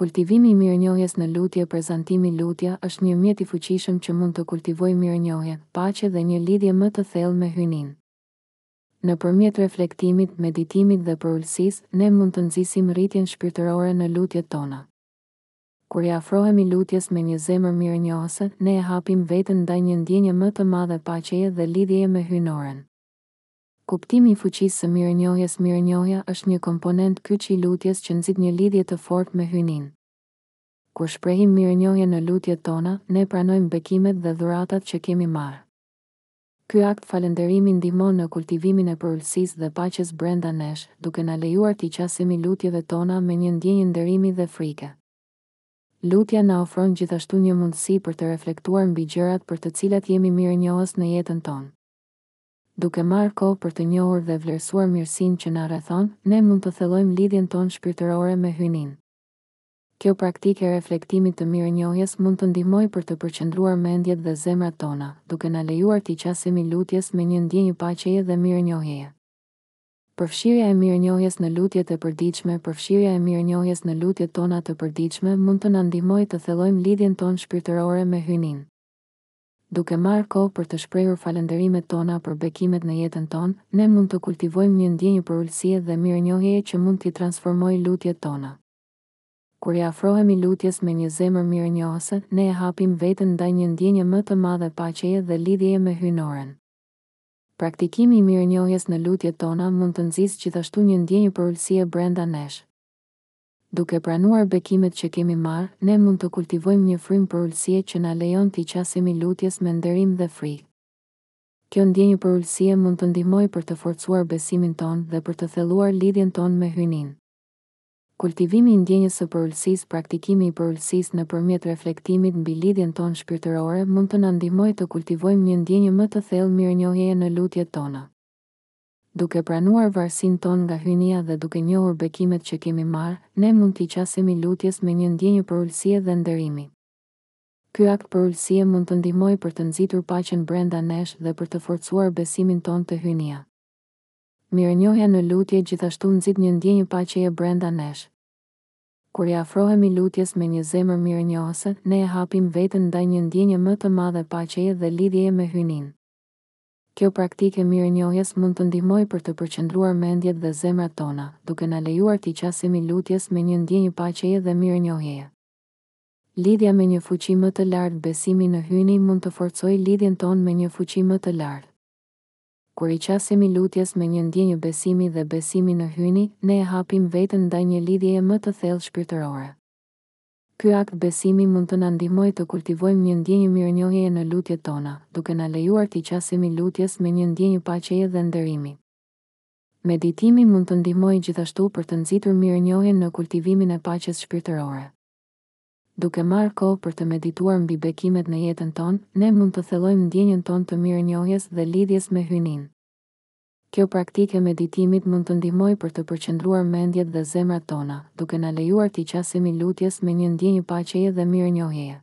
Kultivimi i mirënjohjes në lutje Prezantimi Lutja është një mjet i fuqishëm që mund të kultivojë mirënjohjen, paqe dhe një lidhje më të thellë me Hyjninë. Nëpërmjet reflektimit, meditimit dhe përulësisë, ne mund të nxisim rritjen shpirtërore në lutjet tona. Kur i afrohemi lutjes me një zemër mirënjohëse, ne e hapim veten ndaj një ndjenje më të madhe paqeje dhe lidhjeje me Hyjnoren. Kuptimi i fuqisë së mirënjohjes Mirënjohja është një komponent kyç i lutjes që nxit një lidhje të fortë me Hyjninë. Kur shprehim mirënjohjen në lutjet tona, ne pranojmë bekimet dhe dhuratat që kemi marrë. Ky akt falënderimi ndihmon në kultivimin e përulësisë dhe paqes brenda nesh, duke na lejuar t'i qasemi lutjeve tona me një ndjenjë nderimi dhe frike. Lutja na ofron gjithashtu një mundësi për të reflektuar mbi gjërat për të cilat jemi mirënjohës në jetën tonë. Duke marrë kohë për të njohur dhe vlerësuar mirësinë që na rrethon, ne mund të thellojmë lidhjen tonë shpirtërore me Hyjninë. Kjo praktikë e reflektimit të mirënjohjes mund të ndihmojë për të përqendruar mendjet dhe zemrat tona, duke na lejuar t'i qasemi lutjes me një ndjenjë paqeje dhe mirënjohjeje. Përfshirja e mirënjohjes në lutjet e përditshme Përfshirja e mirënjohjes në lutjet tona të përditshme mund të na ndihmojë të thellojmë lidhjen tonë shpirtërore me Hyjninë. Duke marrë kohë për të shprehur falënderimet tona për bekimet në jetën tonë, ne mund të kultivojmë një ndjenjë përulësie dhe mirënjohjeje që mund t'i transformojë lutjet tona. Kur i afrohemi lutjes me një zemër mirënjohëse, ne e hapim veten ndaj një ndjenje më të madhe paqeje dhe lidhjeje me Hyjnoren. Praktikimi i mirënjohjes në lutjet tona mund të nxisë gjithashtu një ndjenjë përulësie brenda nesh. Duke pranuar bekimet që kemi marrë, ne mund të kultivojmë një frymë përulësie që na lejon t'i qasemi lutjes me nderim dhe frikë. Kjo ndjenjë përulësie mund të ndihmojë për të forcuar besimin tonë dhe për të thelluar lidhjen tonë me Hyjninë. Kultivimi i ndjenjës së përulësisë Praktikimi i përulësisë nëpërmjet reflektimit mbi lidhjen tonë shpirtërore mund të na ndihmojë të kultivojmë një ndjenjë më të thellë mirënjohjeje në lutjet tona. Duke pranuar varësinë tonë nga Hyjnia dhe duke njohur bekimet që kemi marrë, ne mund t'i qasemi lutjes me një ndjenjë përulësie dhe nderimi. Ky akt përulësie mund të ndihmojë për të nxitur paqen brenda nesh dhe për të forcuar besimin tonë te Hyjnia. Mirënjohja në lutje gjithashtu nxit një ndjenjë paqeje brenda nesh. Kur i afrohemi lutjes me një zemër mirënjohëse, ne e hapim veten ndaj një ndjenje më të madhe paqeje dhe lidhjeje me Hyjninë. Kjo praktikë e mirënjohjes mund të ndihmojë për të përqendruar mendjet dhe zemrat tona, duke na lejuar t'i qasemi lutjes me një ndjenjë paqeje dhe mirënjohjeje. Lidhja me një fuqi më të lartë Besimi në Hyjni mund të forcojë lidhjen tonë me një fuqi më të lartë. Kur i qasemi lutjes me një ndjenjë besimi dhe besimi në Hyjni, ne e hapim veten ndaj një lidhjeje më të thellë shpirtërore. Ky akt besimi mund të na ndihmojë të kultivojmë një ndjenjë mirënjohjeje në lutjet tona, duke na lejuar t'i qasemi lutjes me një ndjenjë paqeje dhe nderimi. Meditimi mund të ndihmojë gjithashtu për të nxitur mirënjohjen në kultivimin e paqes shpirtërore. Duke marrë kohë për të medituar mbi bekimet në jetën tonë, ne mund të thellojmë ndjenjën tonë të mirënjohjes dhe lidhjes me Hyjninë. Kjo praktikë e meditimit mund të ndihmojë për të përqendruar mendjet dhe zemrat tona, duke na lejuar t'i qasemi lutjes me një ndjenjë paqeje dhe mirënjohjeje.